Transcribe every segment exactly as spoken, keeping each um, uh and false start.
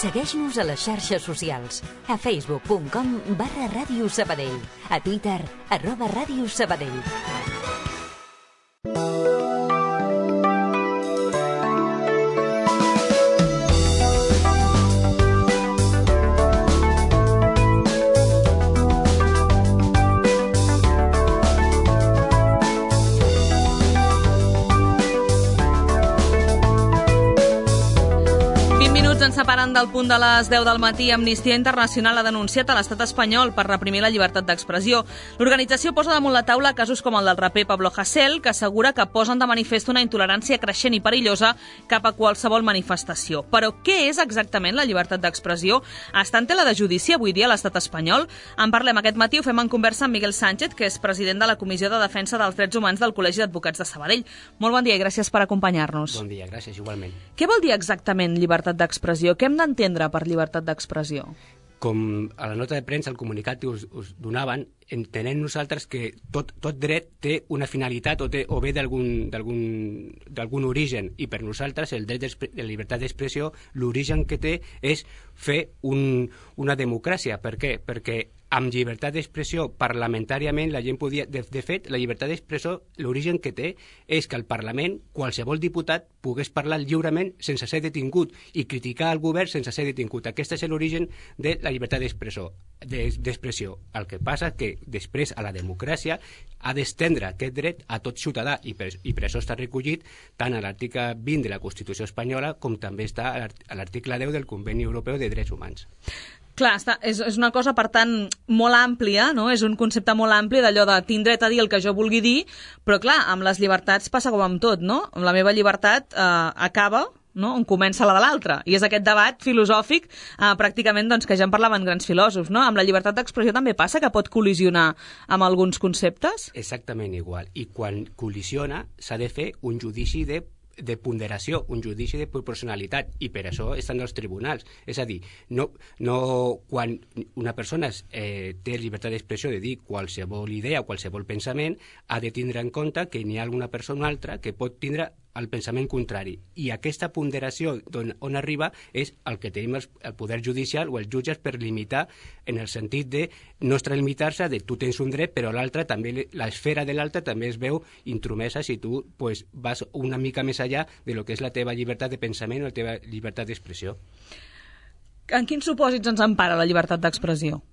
Segueix-nos a les xarxes socials. A facebook punt com barra Ràdio Sabadell. A Twitter, arroba Ràdio Sabadell. Ens separen del punt de les deu del matí. Amnistia Internacional ha denunciat a l'estat espanyol per reprimir la llibertat d'expressió. L'organització posa damunt la taula casos com el del raper Pablo Hasél, que assegura que posen de manifest una intolerància creixent i perillosa cap a qualsevol manifestació. Però què és exactament la llibertat d'expressió? Està en tela de judici avui dia a l'estat espanyol? En parlem aquest matí, ho fem en conversa amb Miguel Sánchez, que és president de la Comissió de Defensa dels Drets Humans del Col·legi d'Advocats de Sabadell. Molt bon dia i gràcies per acompanyar-nos. Bon dia, gràcies, igualment. Què vol dir exactament llibertat d'expressió? Què hem d'entendre per llibertat d'expressió? Com a la nota de premsa, el comunicat que us, us donaven, entenem nosaltres que tot, tot dret té una finalitat o, té, o ve d'algun origen, i per nosaltres el dret de la llibertat d'expressió, l'origen que té és fer un, una democràcia. Per què? Perquè amb llibertat d'expressió parlamentàriament la gent podia... De, de fet, la llibertat d'expressió, l'origen que té és que al Parlament qualsevol diputat pogués parlar lliurement sense ser detingut i criticar el govern sense ser detingut. Aquest és l'origen de la llibertat d'expressió. d'expressió. El que passa és que després a la democràcia ha d'estendre aquest dret a tot ciutadà i per, i per això està recollit tant a l'article vint de la Constitució espanyola com també està a l'article deu del Conveni Europeu de Drets Humans. Clar, està, és, és una cosa, per tant, molt àmplia, no? És un concepte molt ampli d'allò de tinc dret a dir el que jo vulgui dir, però clar, amb les llibertats passa com amb tot, no? La meva llibertat eh, acaba, no?, on comença la de l'altra. I és aquest debat filosòfic eh, pràcticament doncs, que ja en parlaven grans filòsofs, no? Amb la llibertat d'expressió també passa que pot col·lisionar amb alguns conceptes? Exactament igual. I quan col·lisiona s'ha de fer un judici de de ponderació, un judici de proporcionalitat, i per això estan els tribunals. És a dir, no, no quan una persona eh, té llibertat d'expressió de dir qualsevol idea o qualsevol pensament, ha de tindre en compte que n'hi ha alguna persona o altra que pot tindre el pensament contrari. I aquesta ponderació on, on arriba és el que tenim el, el poder judicial o els jutges per limitar, en el sentit de no extralimitar-se de tu tens un dret, però l'altre també, l'esfera de l'altre també es veu intromesa si tu pues, vas una mica més allà de lo que és la teva llibertat de pensament o la teva llibertat d'expressió. En quins supòsits ens empara la llibertat d'expressió?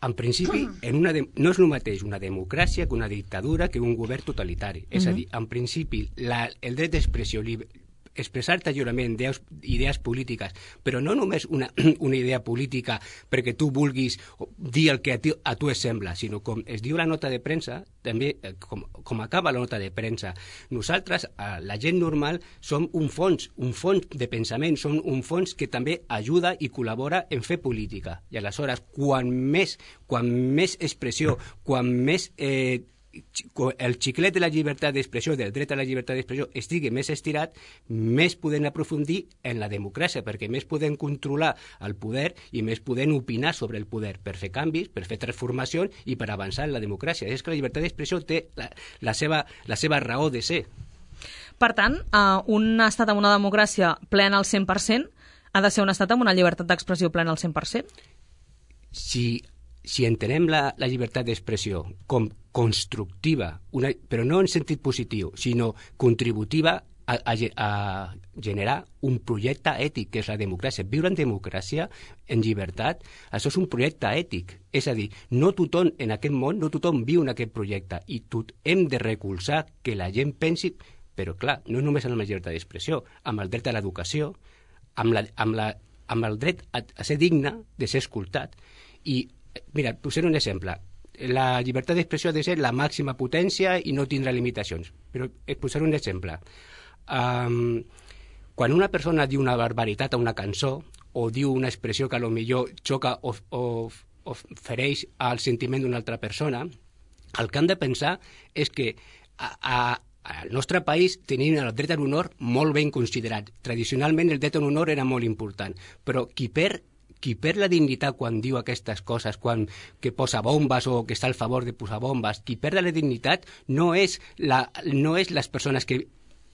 En principi, en una de... no és el mateix una democràcia que una dictadura que un govern totalitari. Uh-huh. És a dir, en principi, la, el dret d'expressió, expressar-te lliurement idees, idees polítiques, però no només una, una idea política perquè tu vulguis dir el que a tu, a tu es sembla, sinó com es diu la nota de premsa, també com, com acaba la nota de premsa. Nosaltres, la gent normal, som un fons, un fons de pensament, som un fons que també ajuda i col·labora en fer política. I aleshores, quan més, quan més expressió, quan més... Eh, el xiclet de la llibertat d'expressió, del dret a la llibertat d'expressió, estigui més estirat, més podem aprofundir en la democràcia, perquè més podem controlar el poder i més podem opinar sobre el poder per fer canvis, per fer transformacions i per avançar en la democràcia. És que la llibertat d'expressió té la, la, seva, la seva raó de ser. Per tant, uh, un estat amb una democràcia plena al cent per cent ha de ser un estat amb una llibertat d'expressió plena al cent per cent? Si... Si entenem la, la llibertat d'expressió com constructiva, una, però no en sentit positiu, sinó contributiva a, a, a generar un projecte ètic, que és la democràcia. Viure en democràcia, en llibertat, això és un projecte ètic. És a dir, no tothom en aquest món, no tothom viu en aquest projecte, i tot hem de recolzar que la gent pensi, però clar, no només amb la llibertat d'expressió, amb el dret a l'educació, amb, la, amb, la, amb el dret a, a ser digne, de ser escoltat, i mira, posaré un exemple. La llibertat d'expressió ha de ser la màxima potència i no tindrà limitacions. Però posaré un exemple. Um, quan una persona diu una barbaritat a una cançó o diu una expressió que potser xoca o, o, o fereix al sentiment d'una altra persona, el que han de pensar és que a, a, al nostre país tenim el dret a l'honor molt ben considerat. Tradicionalment el dret a l'honor era molt important, però qui perd qui perd la dignitat quan diu aquestes coses, quan que posa bombes o que està al favor de posar bombes, qui perd la dignitat no és, la, no és les persones que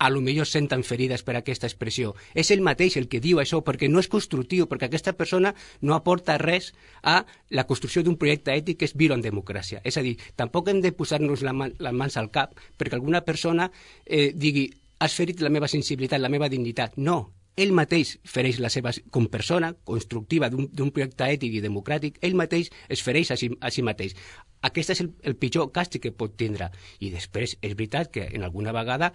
a lo millor senten ferides per aquesta expressió. És ell mateix el que diu això, perquè no és constructiu, perquè aquesta persona no aporta res a la construcció d'un projecte ètic que és viure en democràcia. És a dir, tampoc hem de posar-nos la man, les mans al cap perquè alguna persona eh, digui has ferit la meva sensibilitat, la meva dignitat. No, ell mateix fereix la seva, com persona constructiva d'un projecte ètic i democràtic, ell mateix es fereix a si, a si mateix. Aquest és el, el pitjor càstig que pot tindre. I després és veritat que en alguna vegada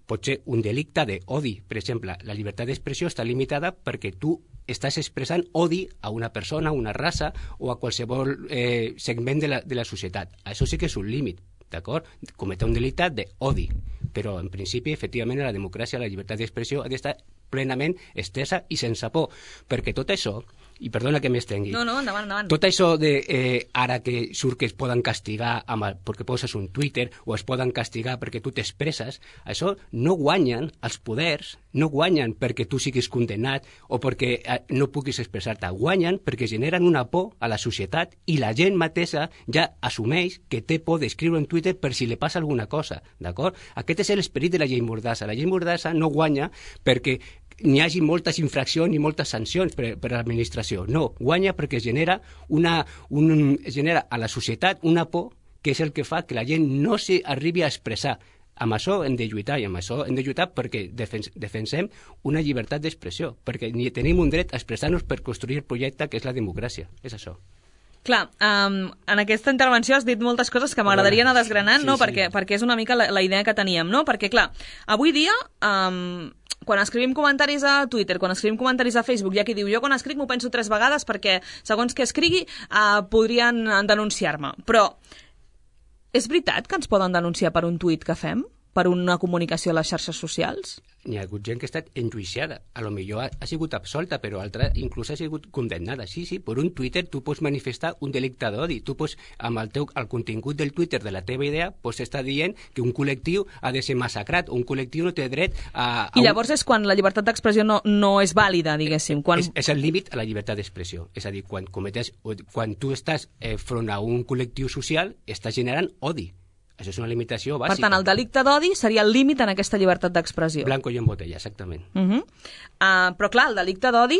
pot ser un delicte d'odi. Per exemple, la llibertat d'expressió està limitada perquè tu estàs expressant odi a una persona, a una raça o a qualsevol eh, segment de la, de la societat. Això sí que és un límit, d'acord? Cometre un delicte d'odi. Però, en principi, efectivament, la democràcia, la llibertat d'expressió ha d'estar plenament estesa i sense por, perquè tot això, i perdona que m'estengui, no, no, endavant, endavant. Tot això de eh, ara que surt que es poden castigar amb el, perquè poses un Twitter o es poden castigar perquè tu t'expresses, això no guanyen els poders, no guanyen perquè tu siguis condemnat o perquè eh, no puguis expressar-te, guanyen perquè generen una por a la societat i la gent mateixa ja assumeix que té por d'escriure en Twitter per si li passa alguna cosa, d'acord? Aquest és l'esperit de la llei Mordassa. La llei Mordassa no guanya perquè n'hi hagi moltes infraccions i moltes sancions per, per a l'administració. No, guanya perquè genera, una, un, genera a la societat una por que és el que fa que la gent no s'arribi a expressar. Amb això hem de lluitar, i amb això hem de lluitar perquè defens, defensem una llibertat d'expressió, perquè ni tenim un dret a expressar-nos per construir el projecte que és la democràcia. És això. Clar, um, en aquesta intervenció has dit moltes coses que m'agradaria anar desgranant, sí, no? Sí. Perquè, perquè és una mica la, la idea que teníem, no? Perquè, clar, avui dia, um, quan escrivim comentaris a Twitter, quan escrivim comentaris a Facebook, hi ha qui diu, jo quan escric m'ho penso tres vegades perquè, segons que escrigui, uh, podrien denunciar-me. Però és veritat que ens poden denunciar per un tuit que fem? Per una comunicació a les xarxes socials? N'hi ha hagut gent que ha estat enjuiciada. A lo millor ha, ha sigut absolta, però altra inclús ha sigut condemnada. Sí, sí, per un Twitter tu pots manifestar un delicte d'odi. Tu pots, amb el, teu, el contingut del Twitter de la teva idea, pots estar dient que un col·lectiu ha de ser massacrat, un col·lectiu no té dret a... a I llavors un... és quan la llibertat d'expressió no, no és vàlida, diguéssim. Quan... És, és el límit a la llibertat d'expressió. És a dir, quan, cometes, quan tu estàs eh, front a un col·lectiu social, estàs generant odi. Això és una limitació bàsica. Per tant, el delicte d'odi seria el límit en aquesta llibertat d'expressió. Blanco i en botella, exactament. Uh -huh. uh, però clar, el delicte d'odi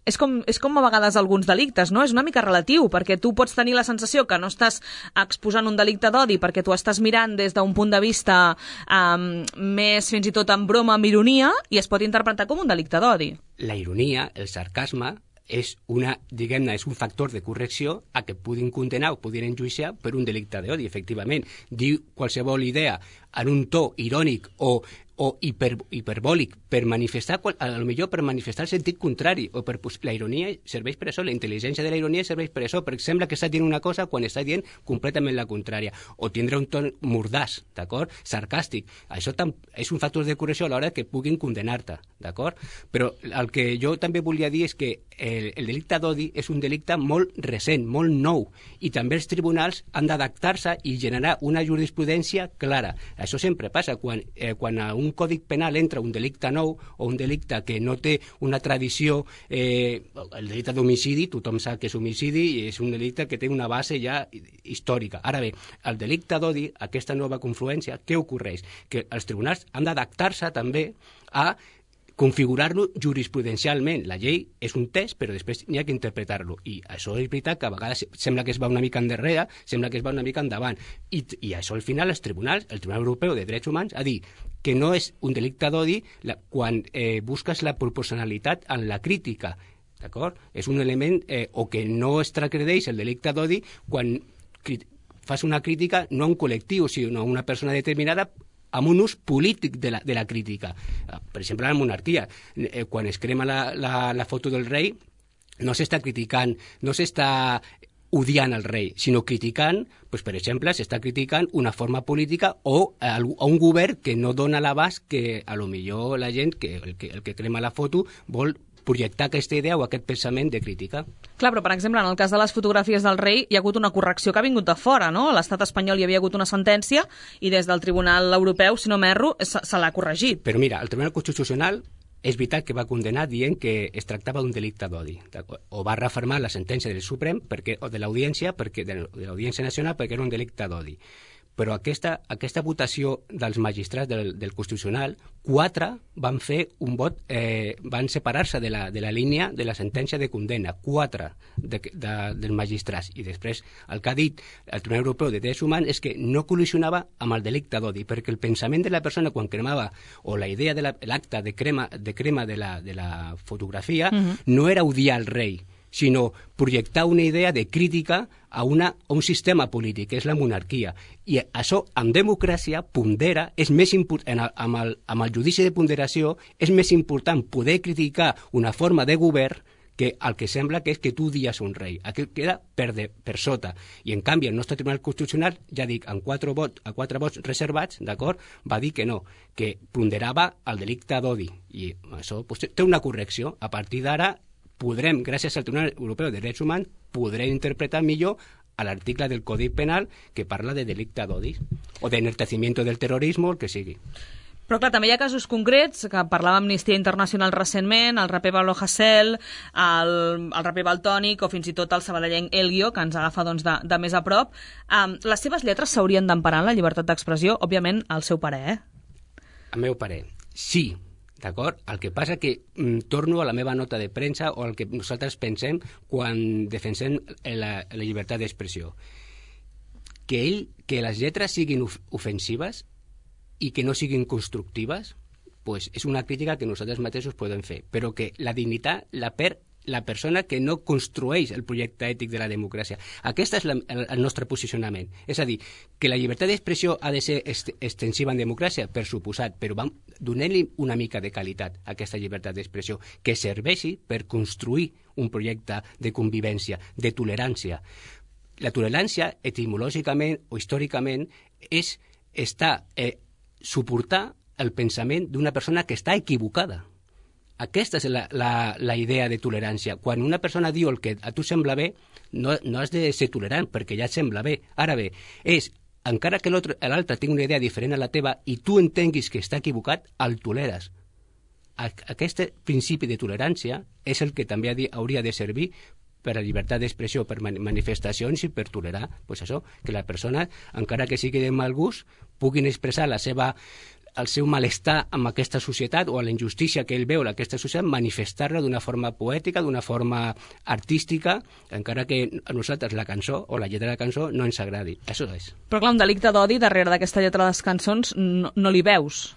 és com, és com a vegades alguns delictes, no? És una mica relatiu, perquè tu pots tenir la sensació que no estàs exposant un delicte d'odi perquè tu estàs mirant des d'un punt de vista um, més fins i tot en broma, amb ironia, i es pot interpretar com un delicte d'odi. La ironia, el sarcasme, és, una, diguem-ne, és un factor de correcció a que puguin condenar o puguin enjuiciar per un delicte d'odi, efectivament. Dir qualsevol idea en un to irònic o, o hiper, hiperbòlic per manifestar, a lo millor per manifestar el sentit contrari, o per, pues, la ironia serveix per això, la intel·ligència de la ironia serveix per això, perquè sembla que està dient una cosa quan està dient completament la contrària, o tindre un ton mordàs, d'acord? Sarcàstic. Això és un factor de correcció a l'hora que puguin condenar-te, d'acord? Però el que jo també volia dir és que el, el delicte d'odi és un delicte molt recent, molt nou, i també els tribunals han d'adaptar-se i generar una jurisprudència clara. Això sempre passa, quan, eh, quan a un còdic penal entra un delicte nou o un delicte que no té una tradició, eh, el delicte d'homicidi, tothom sap que és homicidi i és un delicte que té una base ja històrica. Ara bé, el delicte d'odi, aquesta nova confluència, què ocorreix? Que els tribunals han d'adaptar-se també a configurar-lo jurisprudencialment. La llei és un text, però després n'hi ha que interpretar-lo. I això és veritat que a vegades sembla que es va una mica endarrere, sembla que es va una mica endavant. I, i això al final els tribunals, el Tribunal Europeu de Drets Humans, ha dit que no és un delicte d'odi quan eh, busques la proporcionalitat en la crítica. D'acord? És un element, eh, o que no es transgredeix el delicte d'odi quan fas una crítica no a un col·lectiu, sinó a una persona determinada amb un ús polític de la, de la crítica. Per exemple, la monarquia. Eh, quan es crema la, la, la foto del rei, no s'està criticant, no s'està odiant el rei, sinó criticant, doncs, per exemple, s'està criticant una forma política o a, a un govern que no dona l'abast que a lo millor la gent, que el, que el que crema la foto, vol projectar aquesta idea o aquest pensament de crítica. Clar, però per exemple, en el cas de les fotografies del rei hi ha hagut una correcció que ha vingut de fora, no? A l'estat espanyol hi havia hagut una sentència i des del Tribunal Europeu, si no m'erro, se, se l'ha corregit. Però mira, el Tribunal Constitucional és veritat que va condenar dient que es tractava d'un delicte d'odi, o va refermar la sentència del Suprem perquè, o de l'Audiència perquè de l'Audiència Nacional perquè era un delicte d'odi. però aquesta, aquesta votació dels magistrats del, del Constitucional, quatre van fer un vot, eh, van separar-se de, la, de la línia de la sentència de condemna, quatre de, de, dels magistrats. I després el que ha dit el Tribunal Europeu de Drets Humans és que no col·lisionava amb el delicte d'odi, perquè el pensament de la persona quan cremava, o la idea de l'acte de crema de, crema de, la, de la fotografia, uh-huh. no era odiar al rei, sinó projectar una idea de crítica a, una, a un sistema polític, que és la monarquia. I això, en democràcia, pondera, és més important, amb, el, amb el judici de ponderació, és més important poder criticar una forma de govern que el que sembla que és que tu odies un rei. Aquí queda per, de, per sota. I, en canvi, el nostre Tribunal Constitucional, ja dic, en quatre vots, a quatre vots reservats, d'acord, va dir que no, que ponderava el delicte d'odi. I això pues, té una correcció. A partir d'ara, podrem, gràcies al Tribunal Europeu de Drets Humans, podrem interpretar millor a l'article del Codi Penal que parla de delicte d'odi o d'enaltecimiento del terrorisme, el que sigui. Però clar, també hi ha casos concrets, que parlava Amnistia Internacional recentment, el raper Pablo Hasél, el, el raper Valtònic o fins i tot el sabadellenc Elguio, que ens agafa doncs, de, de més a prop. Um, les seves lletres s'haurien d'emparar en la llibertat d'expressió? Òbviament, al seu parer, eh? Al meu parer, sí. D'acord? El que passa que mm, torno a la meva nota de premsa o al que nosaltres pensem quan defensem la, la llibertat d'expressió. Que, ell, que les lletres siguin of ofensives i que no siguin constructives, pues és una crítica que nosaltres mateixos podem fer, però que la dignitat la perd la persona que no construeix el projecte ètic de la democràcia. Aquest és la, el, el nostre posicionament. És a dir, que la llibertat d'expressió ha de ser est extensiva en democràcia, per suposat, però donem-li una mica de qualitat a aquesta llibertat d'expressió, que serveixi per construir un projecte de convivència, de tolerància. La tolerància, etimològicament o històricament, és estar, eh, suportar el pensament d'una persona que està equivocada. Aquesta és la, la, la idea de tolerància. Quan una persona diu el que a tu sembla bé, no, no has de ser tolerant perquè ja et sembla bé. Ara bé, és, encara que l'altre tingui una idea diferent a la teva i tu entenguis que està equivocat, el toleres. Aquest principi de tolerància és el que també hauria de servir per a llibertat d'expressió, per manifestacions i per tolerar, pues això, que la persona, encara que sigui de mal gust, puguin expressar la seva el seu malestar amb aquesta societat o a la injustícia que ell veu en aquesta societat, manifestar-la d'una forma poètica, d'una forma artística, encara que a nosaltres la cançó o la lletra de la cançó no ens agradi. Això és. Però clar, un delicte d'odi darrere d'aquesta lletra de les cançons no, no li veus?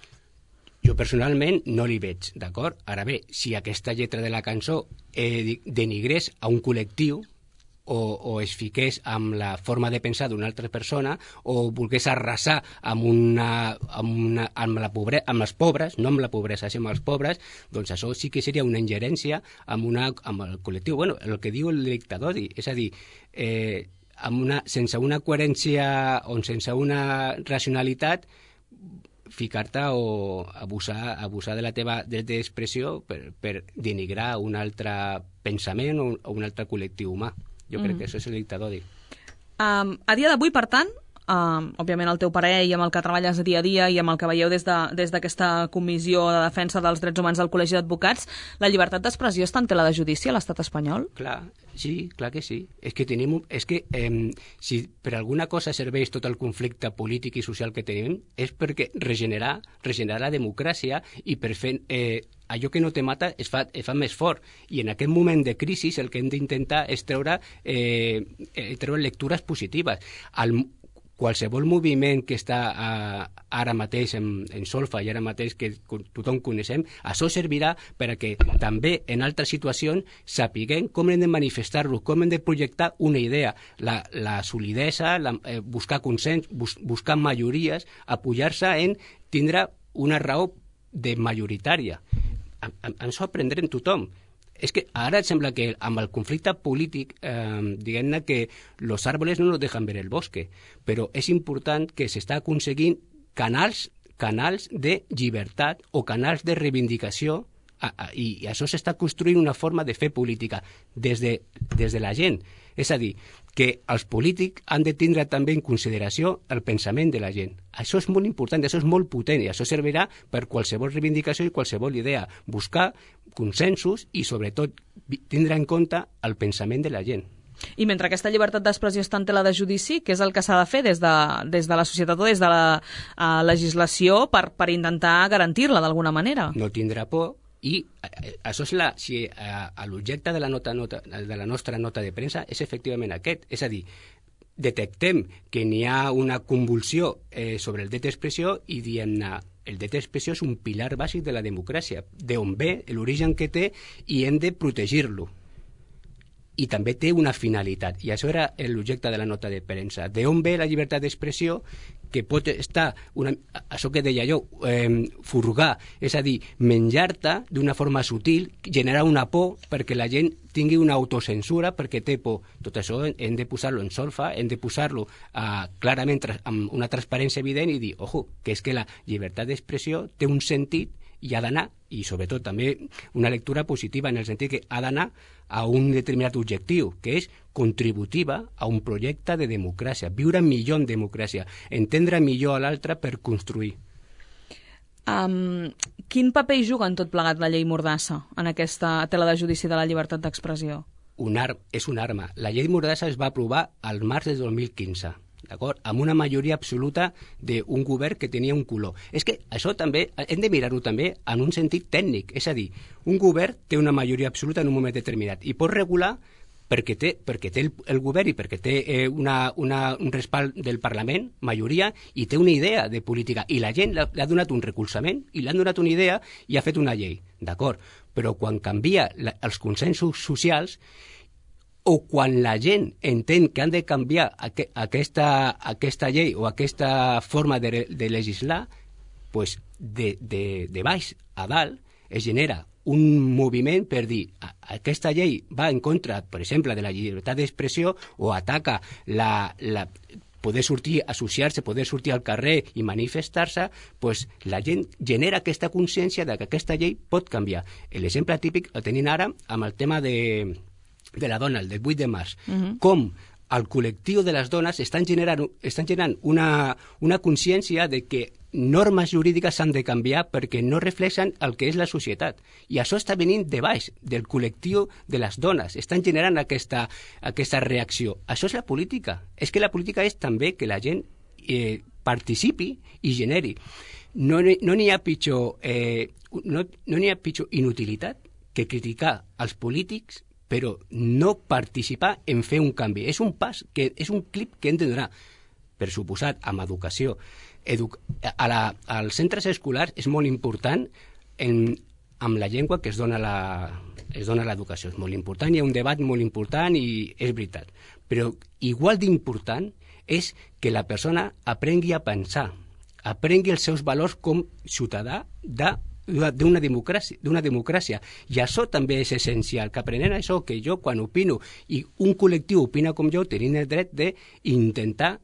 Jo personalment no li veig, d'acord? Ara bé, si aquesta lletra de la cançó eh, denigrés a un col·lectiu, O, o es fiqués amb la forma de pensar d'una altra persona o volgués arrasar amb, una, amb, una, amb, la pobre, amb els pobres, no amb la pobresa, sinó amb els pobres, doncs això sí que seria una ingerència amb, una, amb el col·lectiu. Bueno, el que diu el delicte d'odi, és a dir, eh, amb una, sense una coherència o sense una racionalitat, ficar-te o abusar, abusar de la teva dret d'expressió per, per denigrar un altre pensament o un, o un altre col·lectiu humà. Jo crec mm. que això és el delicte d'odi. Um, a dia d'avui, per tant, um, òbviament el teu parer i amb el que treballes dia a dia i amb el que veieu des d'aquesta de, des comissió de defensa dels drets humans del Col·legi d'Advocats, la llibertat d'expressió està en tela de judici a l'estat espanyol? Clar, sí, clar que sí. És que tenim, és que eh, si per alguna cosa serveix tot el conflicte polític i social que tenim és perquè regenerar, regenerar la democràcia i per fer... Eh, allò que no te mata es fa, es fa més fort. I en aquest moment de crisi el que hem d'intentar és treure, eh, treure lectures positives. El, qualsevol moviment que està eh, ara mateix en, en solfa i ara mateix que tothom coneixem, això servirà per a que també en altres situacions sapiguem com hem de manifestar-lo, com hem de projectar una idea, la, la solidesa, la, eh, buscar consens, bus, buscar majories, apoyar-se en tindre una raó de majoritària. Ens ho aprendrem tothom. És que ara sembla que amb el conflicte polític, eh, diguem-ne que los árboles no nos dejan ver el bosque, però és important que s'està aconseguint canals, canals de llibertat o canals de reivindicació a, a, i, i això s'està construint una forma de fer política des de, des de la gent. És a dir, que els polítics han de tindre també en consideració el pensament de la gent. Això és molt important, això és molt potent i això servirà per qualsevol reivindicació i qualsevol idea. Buscar consensos i, sobretot, tindre en compte el pensament de la gent. I mentre aquesta llibertat d'expressió està en tela de judici, què és el que s'ha de fer des de, des de la societat o des de la uh, legislació per, per intentar garantir-la d'alguna manera? No tindrà por. I això és la, si eh, l'objecte de, la nota, nota, de la nostra nota de premsa és efectivament aquest, és a dir, detectem que n'hi ha una convulsió eh, sobre el dret d'expressió i diem-ne, el dret d'expressió és un pilar bàsic de la democràcia, d'on ve, l'origen que té, i hem de protegir-lo. I també té una finalitat, i això era l'objecte de la nota de premsa. D'on ve la llibertat d'expressió, que pot estar, una, això que deia jo, eh, furgar, és a dir, menjar-te d'una forma sutil, generar una por perquè la gent tingui una autocensura perquè té por. Tot això hem de posar-lo en solfa, hem de posar-lo eh, clarament amb una transparència evident i dir, ojo, que és que la llibertat d'expressió té un sentit i ha d'anar, i sobretot també una lectura positiva en el sentit que ha d'anar a un determinat objectiu, que és contributiva a un projecte de democràcia, viure millor en democràcia, entendre millor a l'altre per construir. Um, quin paper hi juga en tot plegat la llei Mordassa en aquesta tela de judici de la llibertat d'expressió? Un ar és una arma. La llei Mordassa es va aprovar al març de dos mil quinze. D'acord? Amb una majoria absoluta d'un govern que tenia un color. És que això també, hem de mirar-ho també en un sentit tècnic, és a dir, un govern té una majoria absoluta en un moment determinat i pot regular perquè té, perquè té el, el govern i perquè té eh, una, una, un respald del Parlament, majoria, i té una idea de política, i la gent li ha donat un recolzament i li han donat una idea i ha fet una llei, d'acord? Però quan canvia la, els consensos socials o quan la gent entén que han de canviar aqu aquesta, aquesta llei o aquesta forma de, de legislar, pues de, de, de baix a dalt es genera un moviment per dir aquesta llei va en contra, per exemple, de la llibertat d'expressió o ataca la, la, poder sortir, associar-se, poder sortir al carrer i manifestar-se, pues la gent genera aquesta consciència de que aquesta llei pot canviar. L'exemple típic el tenim ara amb el tema de de la dona, el del vuit de març, uh-huh. Com el col·lectiu de les dones estan generant, estan generant una, una consciència de que normes jurídiques s'han de canviar perquè no reflexen el que és la societat. I això està venint de baix, del col·lectiu de les dones. Estan generant aquesta, aquesta reacció. Això és la política. És que la política és també que la gent eh, participi i generi. No n'hi no ha pitjor, eh, no, no n'hi ha pitjor inutilitat que criticar els polítics però no participar en fer un canvi. És un pas, que és un clip que hem de donar, per suposat, amb educació. Edu a la, als centres escolars és molt important en, amb la llengua que es dona la, es dona l'educació. És molt important, hi ha un debat molt important i és veritat. Però igual d'important és que la persona aprengui a pensar, aprengui els seus valors com ciutadà de d'una democràcia, d'una democràcia. I això també és essencial, que aprenent això, que jo quan opino i un col·lectiu opina com jo, tenim el dret d'intentar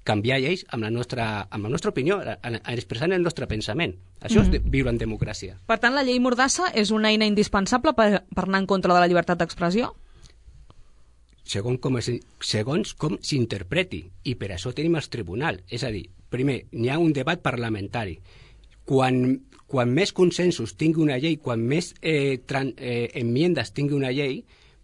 canviar lleis amb la nostra, amb la nostra opinió, expressant el nostre pensament. Això mm-hmm. és de viure en democràcia. Per tant, la llei Mordassa és una eina indispensable per, per anar en contra de la llibertat d'expressió? Segons com, es, segons com s'interpreti, i per això tenim els tribunals. És a dir, primer, n'hi ha un debat parlamentari. Quan, quan més consensos tingui una llei, quan més eh, tran, eh, enmiendes tingui una llei,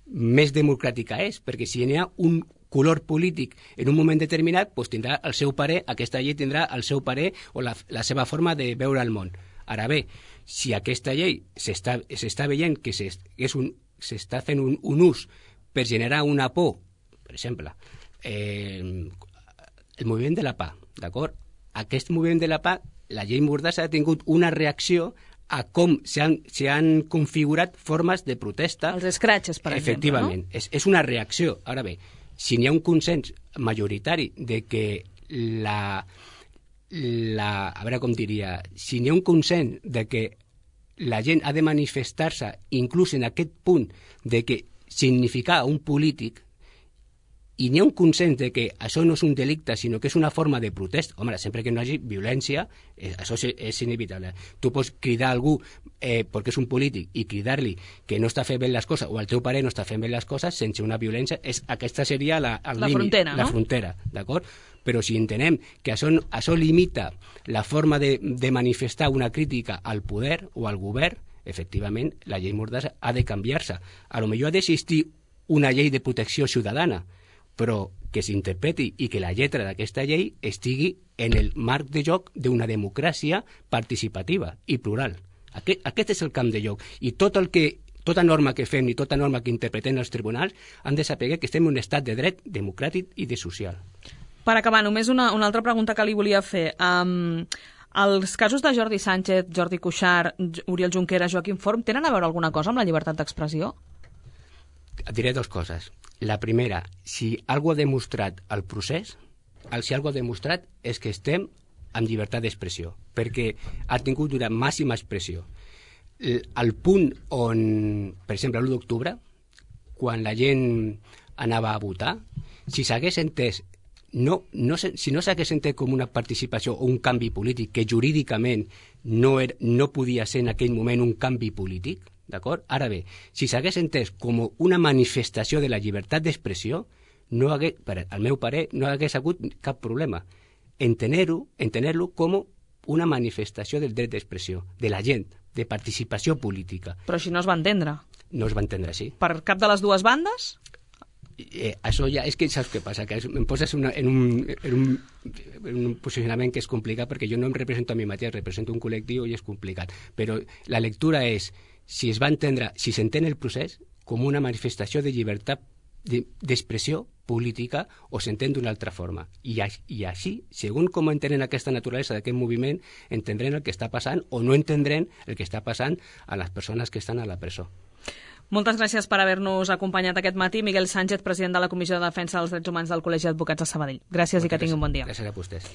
més democràtica és, perquè si n'hi ha un color polític en un moment determinat, doncs tindrà el seu parer, aquesta llei tindrà el seu parer o la, la seva forma de veure el món. Ara bé, si aquesta llei s'està veient que s'està fent un, un ús per generar una por, per exemple, eh, el moviment de la pah, d'acord? Aquest moviment de la pah, la llei Mordassa ha tingut una reacció a com s'han configurat formes de protesta. Els escratxes, per exemple, efectivament, no? És, és una reacció. Ara bé, si n'hi ha un consens majoritari de que la, la... A veure com diria... Si n'hi ha un consens de que la gent ha de manifestar-se inclús en aquest punt de que significar un polític, i n'hi ha un consens de que això no és un delicte, sinó que és una forma de protesta. Home, sempre que no hi hagi violència, eh, això és, és inevitable. Tu pots cridar a algú eh, perquè és un polític i cridar-li que no està fent bé les coses o el teu pare no està fent bé les coses sense una violència. És, aquesta seria la, el la límit, frontera, la no? frontera, d'acord? Però si entenem que això, això limita la forma de, de manifestar una crítica al poder o al govern, efectivament, la llei Mordassa ha de canviar-se. A lo millor ha d'existir una llei de protecció ciutadana, però que s'interpreti i que la lletra d'aquesta llei estigui en el marc de joc d'una democràcia participativa i plural. Aquest, aquest és el camp de joc. I tot el que, tota norma que fem i tota norma que interpretem els tribunals han de saber que estem en un estat de dret democràtic i de social. Per acabar, només una, una altra pregunta que li volia fer. Um, els casos de Jordi Sánchez, Jordi Cuixart, Oriol Junqueras, Joaquim Forn, tenen a veure alguna cosa amb la llibertat d'expressió? Et diré dues coses. La primera, si algú ha demostrat el procés, el si algú ha demostrat és que estem amb llibertat d'expressió, perquè ha tingut una màxima expressió. El, el punt on, per exemple, l'u d'octubre, quan la gent anava a votar, si s'hagués entès, no, no, si no s'hagués entès com una participació o un canvi polític, que jurídicament no, era, no podia ser en aquell moment un canvi polític, d'acord? Ara bé, si s'hagués entès com una manifestació de la llibertat d'expressió, no hagués, per al meu parer, no hagués hagut cap problema. Entener-ho entener-lo com una manifestació del dret d'expressió, de la gent, de participació política. Però així no es va entendre. No es va entendre així. Per cap de les dues bandes? Eh, això ja, és que saps què passa? Que em poses una, en, un, en, un, en un posicionament que és complicat, perquè jo no em represento a mi mateix, represento un col·lectiu i és complicat. Però la lectura és, si es va entendre, si s'entén el procés com una manifestació de llibertat d'expressió política o s'entén d'una altra forma. I, I així, segons com entenen aquesta naturalesa d'aquest moviment, entendrem el que està passant o no entendrem el que està passant a les persones que estan a la presó. Moltes gràcies per haver-nos acompanyat aquest matí. Miguel Sánchez, president de la Comissió de Defensa dels Drets Humans del Col·legi d'Advocats de Sabadell. Gràcies. Moltes i que tingui un bon dia. Gràcies a vostès.